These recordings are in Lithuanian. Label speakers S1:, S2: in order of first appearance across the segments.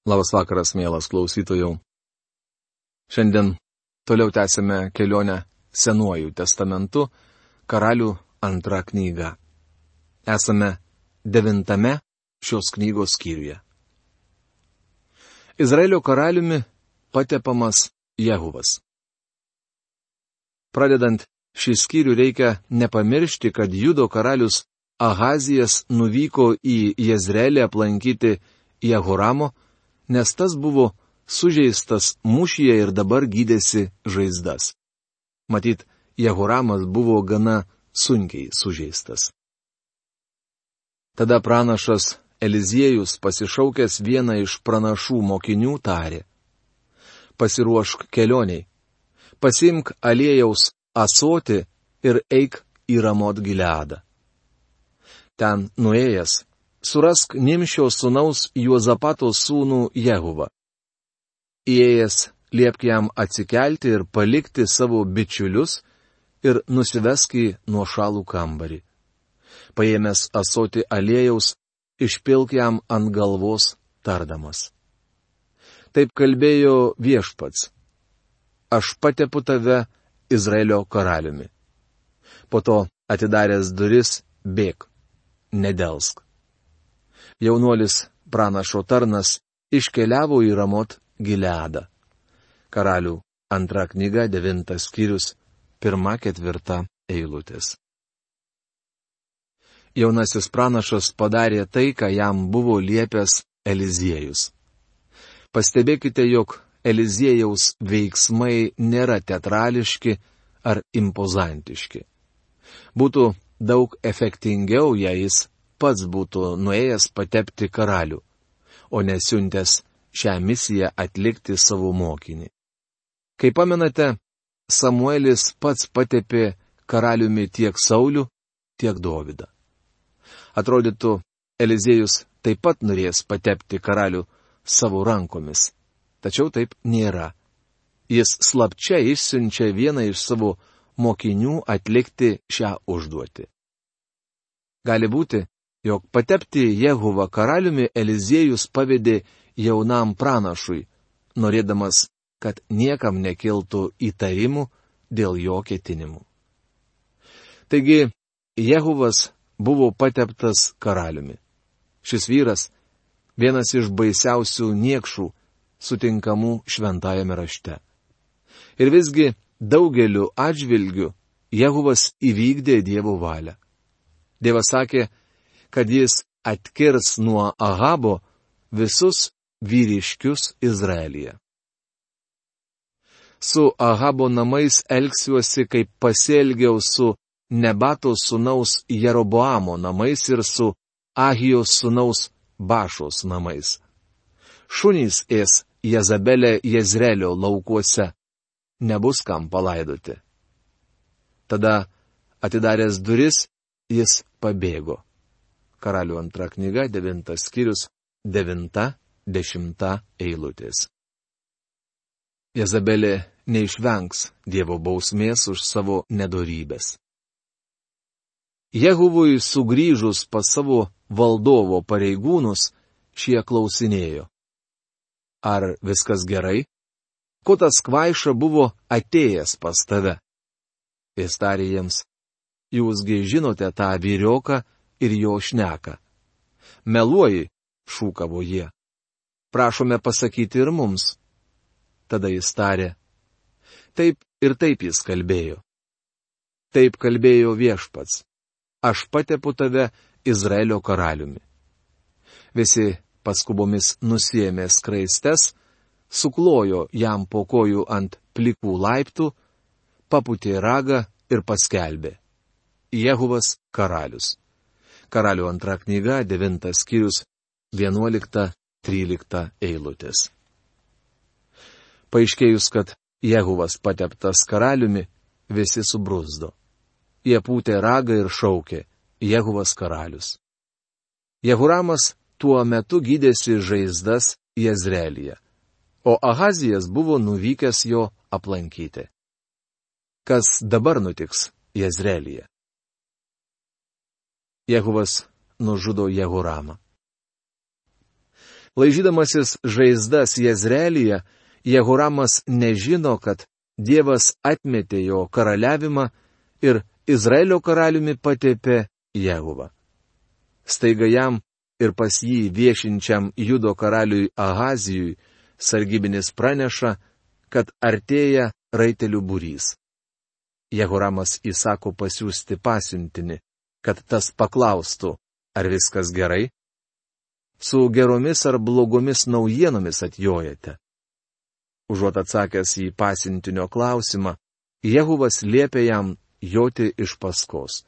S1: Labas vakaras, mielas klausytojų. Šiandien toliau tęsime kelionę Senuoju testamentu, Karalių antra knyga. Esame 9 šios knygos skyriuje. Izraelio karaliumi patepamas Jehuvas. Pradedant šį skyrių reikia nepamiršti, kad Judo karalius Ahazijas nuvyko į Jezreelį aplankyti Jehoramo, nes tas buvo sužeistas mūšyje ir dabar gydėsi žaizdas. Matyt, Jehoramas buvo gana sunkiai sužeistas. Tada pranašas Eliziejus, pasišaukęs vieną iš pranašų mokinių, tarė: pasiruošk kelioniai, pasiimk aliejaus ąsotį ir eik į Ramot Gileadą. Ten nuėjęs, surask Nimšio sūnaus Juozapato sūnų Jehuvą. Įėjęs, liepk jam atsikelti ir palikti savo bičiulius ir nusivesk į nuošalų kambarį. Paėmęs ąsotį aliejaus, išpilk jam ant galvos, tardamas: taip kalbėjo Viešpats: aš patepu tave Izraelio karaliumi. Po to, atidaręs duris, bėk, nedelsk. Jaunuolis pranašo tarnas iškeliavo į Ramot Gileadą. Karalių antra knyga, 9 skyrius, 1-4 eilutės. Jaunasis pranašas padarė tai, ką jam buvo liepęs Eliziejus. Pastebėkite, jog Eliziejaus veiksmai nėra teatrališki ar impozantiški. Būtų daug efektingiau, jei jis pats būtų nuėjęs patepti karalių, o nesiuntęs šią misiją atlikti savo mokinį. Kaip pamenate, Samuelis pats patepė karaliumi tiek Saulių, tiek Dovydą. Atrodytų, Eliziejus taip pat norės patepti karalių savo rankomis, tačiau taip nėra. Jis slapčia išsiunčia vieną iš savo mokinių atlikti šią užduotį. Gali būti, jog patepti Jehuvą karaliumi Eliziejus pavedė jaunam pranašui, norėdamas, kad niekam nekiltų įtarimų dėl jo ketinimų. Taigi, Jehuvas buvo pateptas karaliumi. Šis vyras — vienas iš baisiausių niekšų sutinkamų šventajame rašte. Ir visgi daugeliu atžvilgių Jehuvas įvykdė Dievo valią. Dievas sakė, kad jis atkirs nuo Ahabo visus vyriškius Izraelyje. Su Ahabo namais elgsiuosi, kaip pasielgiau su Nebato sūnaus Jeroboamo namais ir su Ahijos sūnaus Bašos namais. Šunys ės Jezabelę Jezreelio laukuose, nebus kam palaidoti. Tada, atidaręs duris, jis pabėgo. Karalių antra knyga, 9 skyrius, 9-10 eilutės. Jezabelė neišvengs Dievo bausmės už savo nedorybės. Jehuvui sugrįžus pas savo valdovo pareigūnus, šie klausinėjo: ar viskas gerai? Ko tas kvaiša buvo atėjęs pas tave? Jis tarė jiems: jūsgi žinote tą vyrioką ir jo šneką. Meluoji, šūkavo jie. Prašome pasakyti ir mums. Tada jis tarė: taip ir taip jis kalbėjo. Taip kalbėjo Viešpats: aš patepu tave Izraelio karaliumi. Visi paskubomis nusiėmė skraistes, suklojo jam po kojų ant plikų laiptų, papūtė ragą ir paskelbė: Jehuvas karalius. Karalių antra knyga, 9 skyrius, 11-13 eilutės. Paaiškėjus, kad Jehuvas pateptas karaliumi, visi subruzdo. Jie pūtė ragą ir šaukė: Jehuvas karalius. Jehoramas tuo metu gydėsi žaizdas Jezreelyje, o Ahazijas buvo nuvykęs jo aplankyti. Kas dabar nutiks Jezreelyje? Jehuvas nužudo Jehoramą. Laižydamasis žaizdas Jezreelyje, Jehoramas nežino, kad Dievas atmetė jo karaliavimą ir Izraelio karaliumi patepė Jehuvą. Staiga jam ir pas jį viešinčiam Judo karaliui Ahazijui sargybinis praneša, kad artėja raitelių būrys. Jehoramas įsako pasiųsti pasiuntinį, kad tas paklaustų, ar viskas gerai? Su geromis ar blogomis naujienomis atjojate? Užuot atsakęs į pasiuntinio klausimą, Jehuvas liepė jam joti iš paskos.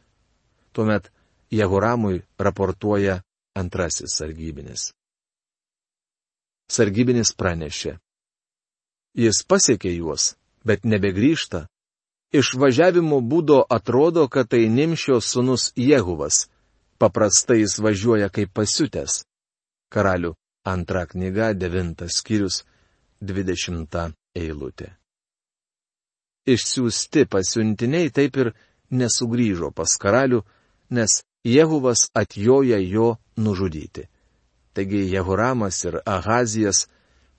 S1: Tuomet Jehoramui raportuoja antrasis sargybinis. Sargybinis pranešė. Jis pasiekė juos, bet nebegrįžta. Iš važiavimo būdo atrodo, kad tai Nimšio sūnus Jehuvas. Paprastai jis važiuoja kaip pasiutęs. Karalių antra knyga, 9 skyrius, 20 eilutė. Išsiųsti pasiuntiniai taip ir nesugrįžo pas karalių, nes Jehuvas atjoja jo nužudyti. Taigi Jehoramas ir Ahazijas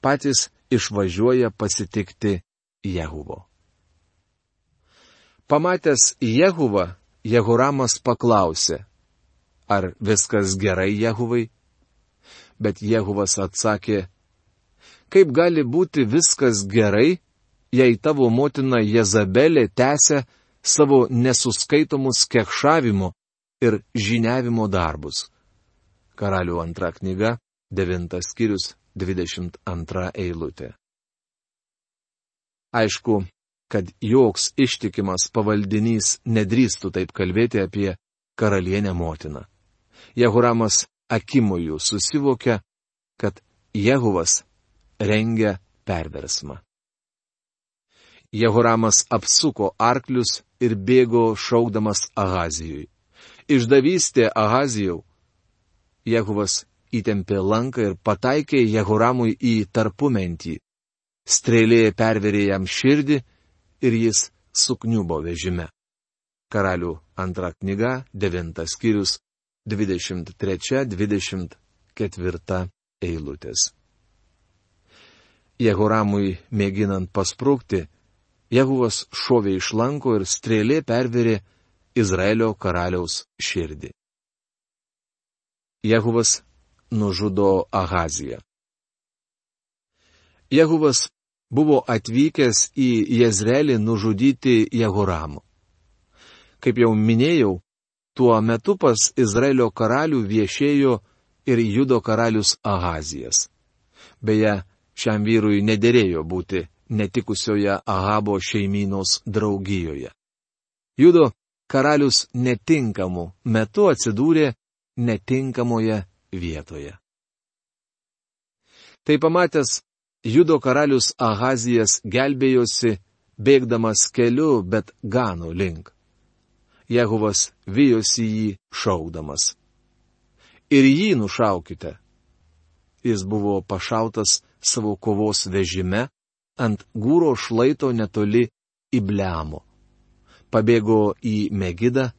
S1: patys išvažiuoja pasitikti Jehuvo. Pamatęs Jehuvą, Jehoramas paklausė, ar viskas gerai Jehuvai? Bet Jehuvas atsakė, kaip gali būti viskas gerai, jei tavo motina Jezabelė tęsia savo nesuskaitomus kekšavimo ir žiniavimo darbus. Karalių antra knyga, 9 skyrius, 22 eilutė. Aišku, kad joks ištikimas pavaldinys nedrįstų taip kalbėti apie karalienę motiną. Jehoramas akimoju susivokia, kad Jehuvas rengia perversmą. Jehoramas apsuko arklius ir bėgo šaukdamas Ahazijui. Išdavystė Ahazijau. Jehuvas įtempė lanką ir pataikė Jehoramui į tarpumentį. Strėlė perverė jam širdį ir jis sukniubo vežime. Karalių antra knyga, 9 skyrius, 23-24 eilutės. Jehoramui mėginant pasprūkti, Jehuvas šovė iš lanko ir strėlė perverė Izraelio karaliaus širdį. Jehuvas nužudo Ahaziją. Jehuvas buvo atvykęs į Jezreelį nužudyti Jehoramo. Kaip jau minėjau, tuo metu pas Izraelio karalių viešėjo ir Judo karalius Ahazijas. Beje, šiam vyrui nederėjo būti netikusioje Ahabo šeimynos draugijoje. Judo karalius netinkamu metu atsidūrė netinkamoje vietoje. Tai pamatęs, Judo karalius Ahazijas gelbėjosi, bėgdamas keliu, bet Gano link. Jehuvas vijosi jį šaukdamas. Ir jį nušaukite. Jis buvo pašautas savo kovos vežime ant Gūro šlaito netoli Ibleamo. Pabėgo į Megidą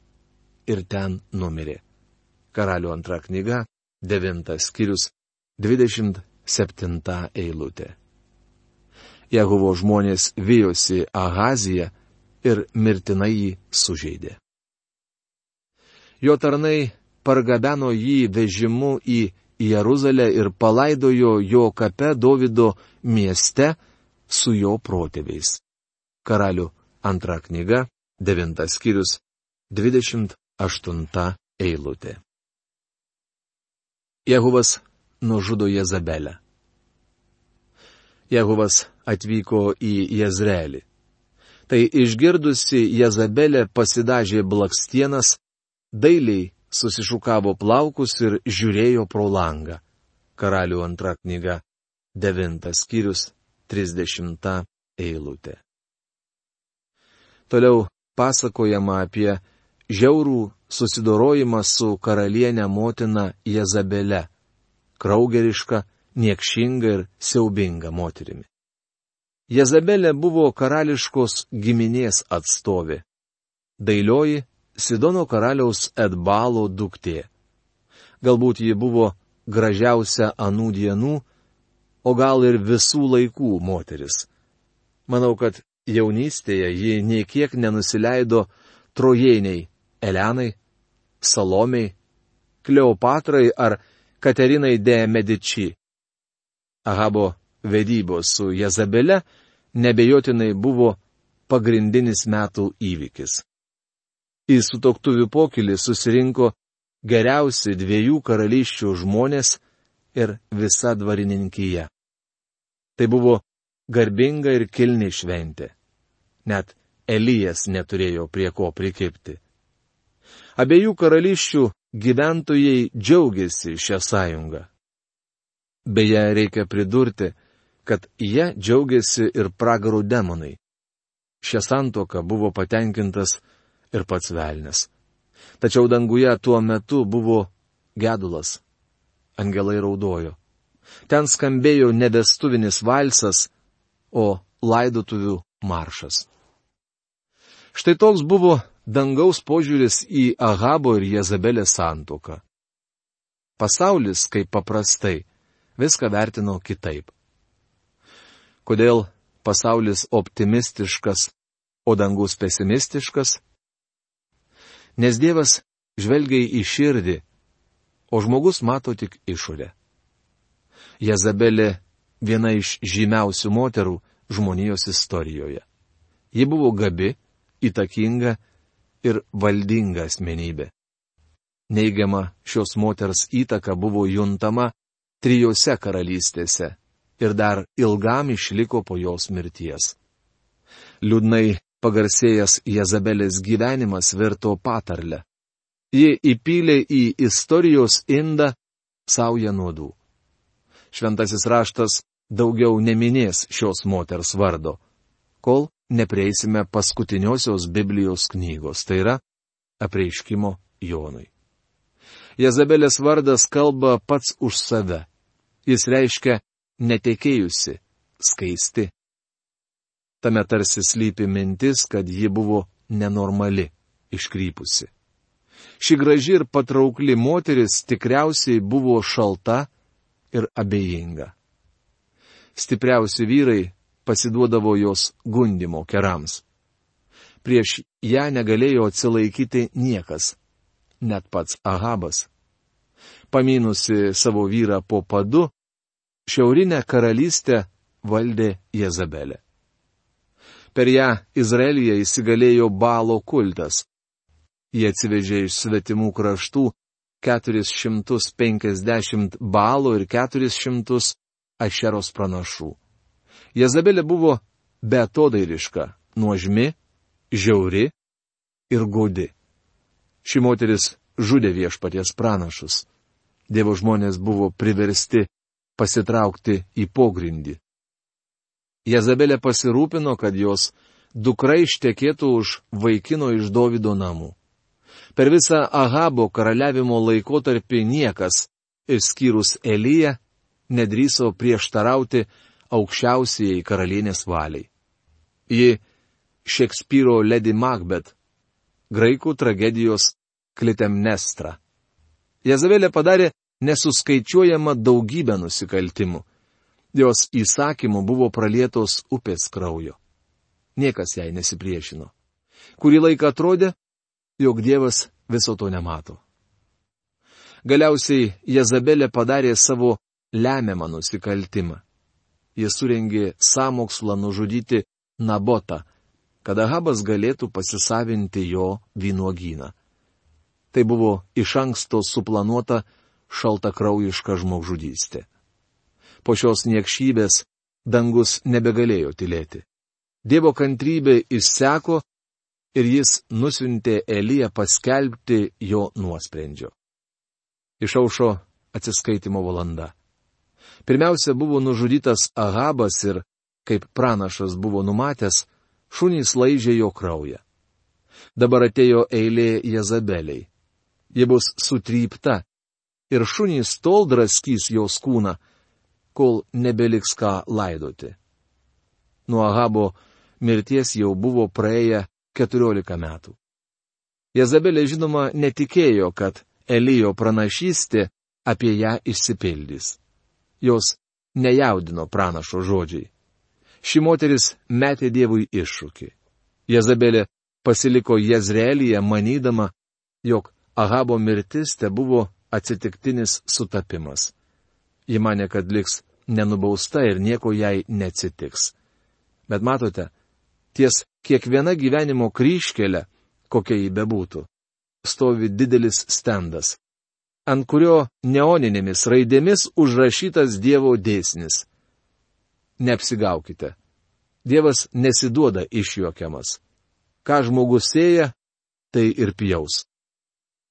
S1: ir ten numirė. Karalių antra knyga, 9 skyrius, 27 eilutė. Jehuvo žmonės vijosi Ahaziją ir mirtinai jį sužeidė. Jo tarnai pargabeno jį vežimu į Jeruzalę ir palaidojo jo kape Dovido mieste su jo protėviais. Karalių antra knyga, 9 skyrius, 28 eilutė. Jehuvas nužudo Jezabelę. Jehuvas atvyko į Jezreelį. Tai išgirdusi Jezabelė pasidažė blakstienas, dailiai susišukavo plaukus ir žiūrėjo pro langą. Karalių antra knyga, 9 skyrius, 30 eilutė. Toliau pasakojama apie žiaurų susidorojimą su karalienė motina Jezabele, kraugeriška, niekšinga ir siaubinga moterimi. Jezabelė buvo karališkos giminės atstovė. Dailioji Sidono karaliaus Edbalo duktė. Galbūt ji buvo gražiausia anų dienų, o gal ir visų laikų moteris. Manau, kad jaunystėje ji nei kiek nenusileido trojėniai Elenai, Salomei, Kleopatrai ar Katerinai de Medici. Ahabo vedybos su Jezabele nebejotinai buvo pagrindinis metų įvykis. Į sutuoktuvių pokylį susirinko geriausi 2 karalysčių žmonės ir visa dvarininkija. Tai buvo garbinga ir kilni šventė. Net Elijas neturėjo prie ko prikibti. Abiejų karalysčių gyventojai džiaugiasi šią sąjungą. Beje, reikia pridurti, kad jie džiaugiasi ir pragarų demonai. Šią santuoką buvo patenkintas ir pats velnias. Tačiau danguje tuo metu buvo gedulas. Angelai raudojo. Ten skambėjo ne vestuvinis valsas, o laidotuvių maršas. Štai toks buvo dangaus požiūris į Ahabo ir Jezabelės santuoką. Pasaulis, kaip paprastai, viską vertino kitaip. Kodėl pasaulis optimistiškas, o dangus pesimistiškas? Nes Dievas žvelgia į širdį, o žmogus mato tik išorę. Jezabelė viena iš žymiausių moterų žmonijos istorijoje. Ji buvo gabi, įtakinga ir valdinga asmenybė. Neigiama šios moters įtaka buvo juntama 3 karalystėse ir dar ilgam išliko po jos mirties. Liūdnai pagarsėjęs Jezabelės gyvenimas virto patarle. Ji įpylė į istorijos indą saują nuodų. Šventasis raštas daugiau neminės šios moters vardo, kol neprieisime paskutiniosios Biblijos knygos, tai yra Apreiškimo Jonui. Jezabelės vardas kalba pats už save. Jis reiškia netekėjusi, skaisti. Tame tarsi slypi mintis, kad ji buvo nenormali, iškrypusi. Ši graži ir patraukli moteris tikriausiai buvo šalta ir abejinga. Stipriausi vyrai pasiduodavo jos gundimo kerams. Prieš ją negalėjo atsilaikyti niekas, net pats Ahabas. Pamynusi savo vyrą po padu, šiaurinę karalystę valdė Jezabelė. Per ją Izraelyje įsigalėjo Baalo kultas. Jie atsivežė iš svetimų kraštų 450 Baalo ir 400 Ašeros pranašų. Jezabelė buvo beatodairiška, nuožmi, žiauri ir godi. Ši moteris žudė Viešpaties pranašus. Dievo žmonės buvo priversti pasitraukti į pogrindį. Jezabelė pasirūpino, kad jos dukra ištekėtų už vaikino iš Dovydo namų. Per visą Ahabo karaliavimo laikotarpį niekas, išskyrus Eliją, nedrįso prieštarauti aukščiausiai karalienės valiai. Ji Šekspyro Lady Macbeth, graikų tragedijos Klitemnestra. Jezabelė padarė nesuskaičiuojama daugybę nusikaltimų. Jos įsakymų buvo pralietos upės kraujo. Niekas jai nesipriešino. Kurį laiką atrodė, jog Dievas viso to nemato. Galiausiai Jezabelė padarė savo lemiamą nusikaltimą. Jis surengė sąmokslą nužudyti Nabotą, kad Ahabas galėtų pasisavinti jo vynuogyną. Tai buvo iš anksto suplanuota šaltakraujiška žmogžudystė. Po šios niekšybės dangus nebegalėjo tylėti. Dievo kantrybė išseko ir jis nusiuntė Eliją paskelbti jo nuosprendžio. Išaušo atsiskaitimo valanda. Pirmiausia buvo nužudytas Ahabas ir, kaip pranašas buvo numatęs, šunys laižė jo kraują. Dabar atėjo eilė Jezabeliai. Ji bus sutrypta ir šunys tol draskys jos kūną, kol nebeliks ką laidoti. Nuo Ahabo mirties jau buvo praėję 14 metų. Jezabelė žinoma netikėjo, kad Elijo pranašystė apie ją išsipildys. Jos nejaudino pranašo žodžiai. Ši moteris metė Dievui iššūkį. Jezabelė pasiliko Jezreelyje, manydama, jog Ahabo mirtis te buvo atsitiktinis sutapimas. Ji manė, kad liks nenubausta ir nieko jai neatsitiks. Bet matote, ties kiekviena gyvenimo kryžkelė, kokia ji bebūtų, stovi didelis stendas, ant kurio neoninėmis raidėmis užrašytas Dievo dėsnis. Neapsigaukite. Dievas nesiduoda išjuokiamas. Ką žmogus sėja, tai ir pjaus.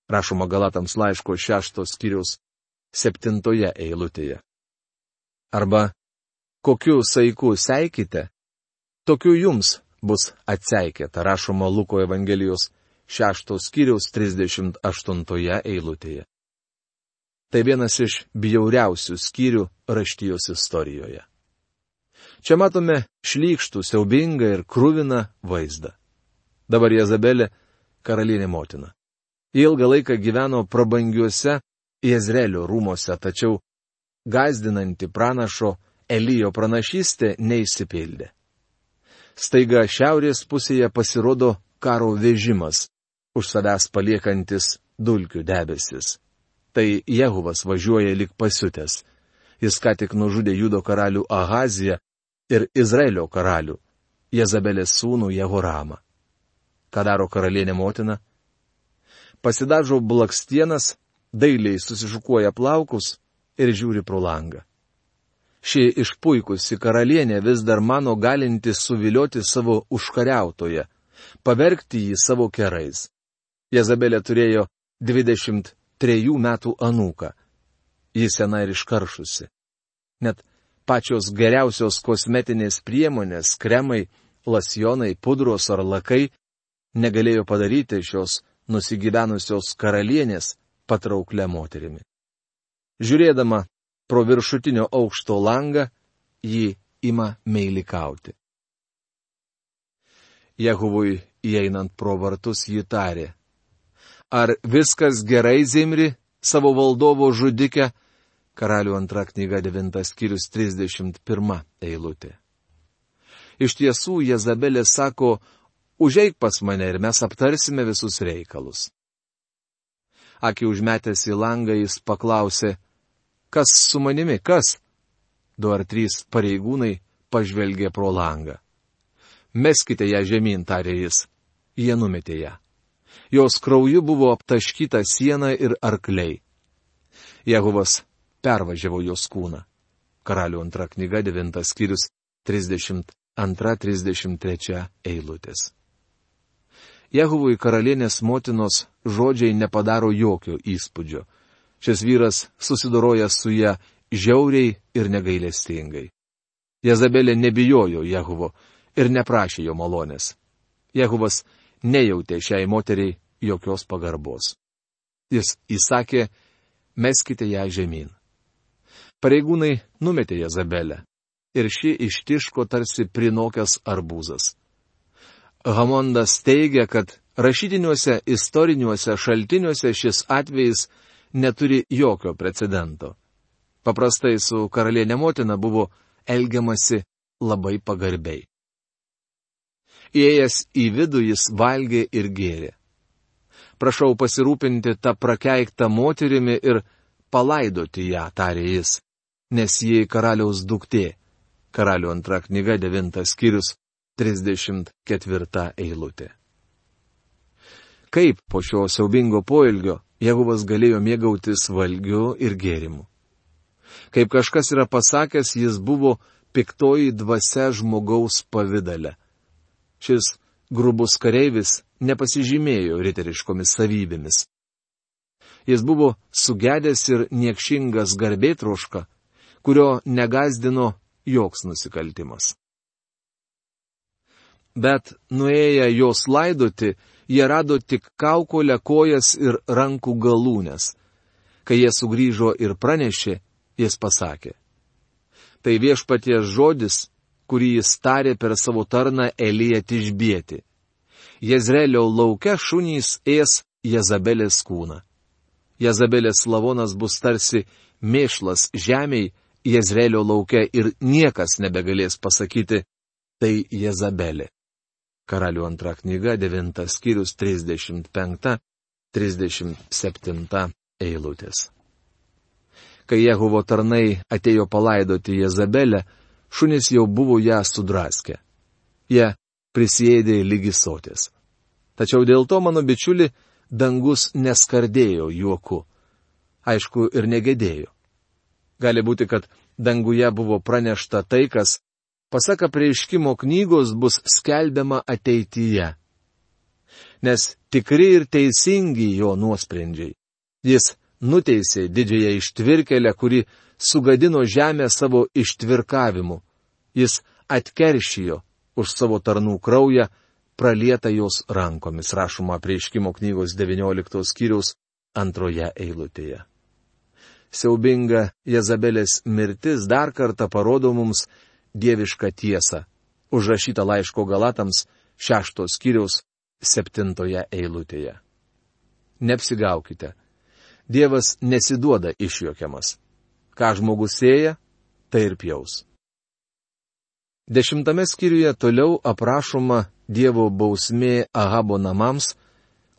S1: Rašoma Galatams laiško 6 skyriaus 7 eilutėje. Arba, kokiu saiku seikite, tokiu jums bus atseikėta, rašoma Luko Evangelijos 6 skyriaus 38 eilutėje. Tai vienas iš bjauriausių skyrių raštijos istorijoje. Čia matome šlykštų, siaubingą ir kruviną vaizdą. Dabar Jezabelė karalienė motina. Ilgą laiką gyveno prabangiuose Jezreelio rūmose, tačiau gąsdinanti pranašo Elijo pranašystė neišsipildė. Staiga šiaurės pusėje pasirodo karo vežimas, už savęs paliekantis dulkių debesis. Tai Jehuvas važiuoja lik pasiutęs. Jis ką tik nužudė Judo karalių Ahaziją ir Izraelio karalių, Jezabelės sūnų Jehoramą. Ką daro karalienė motina? Pasidažo blakstienas, dailiai susišukuoja plaukus ir žiūri pro langą. Ši išpuikusi karalienė vis dar mano galinti suvilioti savo užkariautoją, pavergti jį savo kerais. Jezabelė turėjo 23 metų anūką. Ji sena ir iškaršusi. Net pačios geriausios kosmetinės priemonės, kremai, lasjonai, pudros ar lakai negalėjo padaryti šios nusigyvenusios karalienės patrauklę moterimi. Žiūrėdama pro viršutinio aukšto langą, ji ima meilikauti. Jehuvui įeinant pro vartus ji tarė: Ar viskas gerai, Zimri, savo valdovo žudike? Karalių 2 knyga 9 skyrius 31 eilutė. Iš tiesų, Jezabelė sako: Užeik pas mane ir mes aptarsime visus reikalus. Akį užmetęs į langą jis paklausė: Kas su manimi, kas? 2 ar 3 pareigūnai pažvelgė pro langą. Meskite ją žemyn, tarė jis. Jie numetė ją. Jos krauju buvo aptaškyta siena ir arkliai. Jehuvas pervažiavo jos kūną. Karalių 2 knyga 9 skyrius 32-33 eilutės. Jehuvui karalienės motinos žodžiai nepadaro jokio įspūdžio. Šis vyras susidoroja su ją žiauriai ir negailestingai. Jezabelė nebijojo Jehuvo ir neprašė jo malonės. Jehuvas nejautė šiai moteriai jokios pagarbos. Jis įsakė: Meskite ją žemyn. Pareigūnai numetė Jezabelę ir ši ištiško tarsi prinokęs arbūzas. Hamondas teigia, kad rašytiniuose istoriniuose šaltiniuose šis atvejis neturi jokio precedento. Paprastai su karalienė motina buvo elgiamasi labai pagarbiai. Įėjęs į vidų jis valgė ir gėrė. Prašau pasirūpinti tą prakeiktą moterimi ir palaidoti ją, tarė jis, nes ji karaliaus duktė. Karalių 2 knyga 9 skyrius 34 eilutė. Kaip po šio siaubingo poelgio Jehuvas galėjo mėgautis valgiu ir gėrimu? Kaip kažkas yra pasakęs, jis buvo piktoji dvasia žmogaus pavidale. Šis grubus kareivis nepasižymėjo riteriškomis savybėmis. Jis buvo sugedęs ir niekšingas garbėtroška, kurio negazdino joks nusikaltimas. Bet nuėję jos laidoti, jie rado tik kaukolę, kojas ir rankų galūnes. Kai jie sugrįžo ir pranešė, jis pasakė: Tai viešpaties žodis, kurį jis tarė per savo tarną Eliją Tišbietį. Jezreelio lauke šunys ės Jezabelės kūną. Jezabelės lavonas bus tarsi mėšlas žemiai Jezreelio lauke ir niekas nebegalės pasakyti, tai Jezabelė. Karalių antra knyga, 9 skyrius, 35-37 eilutės. Kai Jehovo tarnai atėjo palaidoti Jezabelę, šunys jau buvo ją sudraskę. Jie prisiėdė lygi soties. Tačiau dėl to, mano bičiuli, dangus neskardėjo juoku. Aišku, ir negėdėjo. Gali būti, kad danguje buvo pranešta tai, kas, pasak Apreiškimo knygos, bus skelbiama ateityje. Nes tikri ir teisingi jo nuosprendžiai. Jis nuteisė didžiąją ištvirkelę, kuri sugadino žemę savo ištvirkavimu. Jis atkeršijo už savo tarnų kraują, pralieta jos rankomis, rašoma Apreiškimo knygos 19 skyriaus 2 eilutėje. Siaubinga Jezabelės mirtis dar kartą parodo mums dievišką tiesą, užrašytą laiško Galatams 6 skyriaus 7 eilutėje. Neapsigaukite. Dievas nesiduoda išjuokiamas. Ką žmogus sėja, tai ir pjaus. 10 skyriuje toliau aprašoma Dievo bausmė Ahabo namams,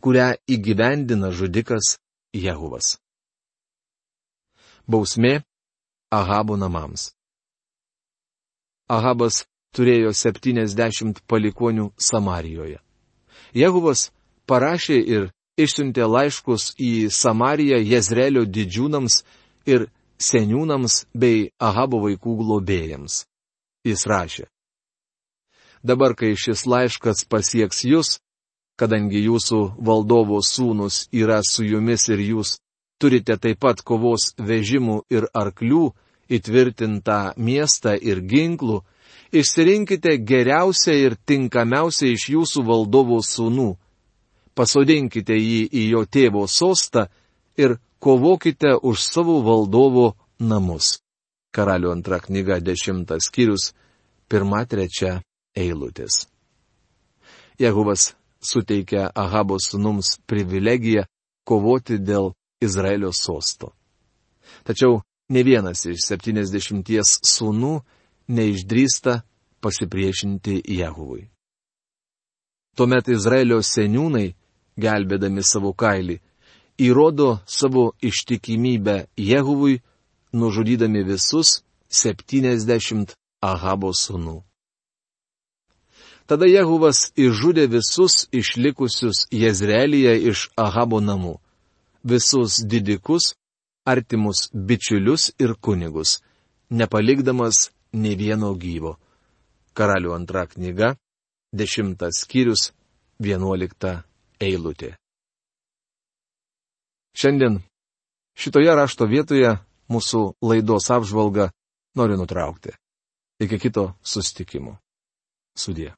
S1: kurią įgyvendina žudikas Jehuvas. Bausmė Ahabo namams. Ahabas turėjo 70 palikuonių Samarijoje. Jehuvas parašė ir išsiuntė laiškus į Samariją Jezreelio didžiūnams ir seniūnams bei Ahabo vaikų globėjams. Jis rašė: dabar, kai šis laiškas pasieks jūs, kadangi jūsų valdovo sūnus yra su jumis ir jūs turite taip pat kovos vežimų ir arklių, įtvirtintą miestą ir ginklų, išsirinkite geriausią ir tinkamiausią iš jūsų valdovo sūnų, pasodinkite jį į jo tėvo sostą ir kovokite už savo valdovo namus. Karalių antra knyga 10 skyrius 1-3 eilutės. Jehuvas suteikia Ahabo sūnums privilegiją kovoti dėl Izraelio sosto. Tačiau ne vienas iš 70 sūnų neišdrįsta pasipriešinti Jehuvui. Tuomet Izraelio seniūnai, gelbėdami savo kailį, įrodo savo ištikimybę Jehuvui, nužudydami visus 70 Ahabo sūnų. Tada Jehuvas išžudė visus išlikusius Jezreelyje iš Ahabo namų, visus didikus, artimus bičiulius ir kunigus, nepalikdamas nė vieno gyvo. Karalių antra knyga, 10 skyrius, 11 eilutė. Šiandien šitoje rašto vietoje mūsų laidos apžvalgą noriu nutraukti. Iki kito susitikimo. Sudie.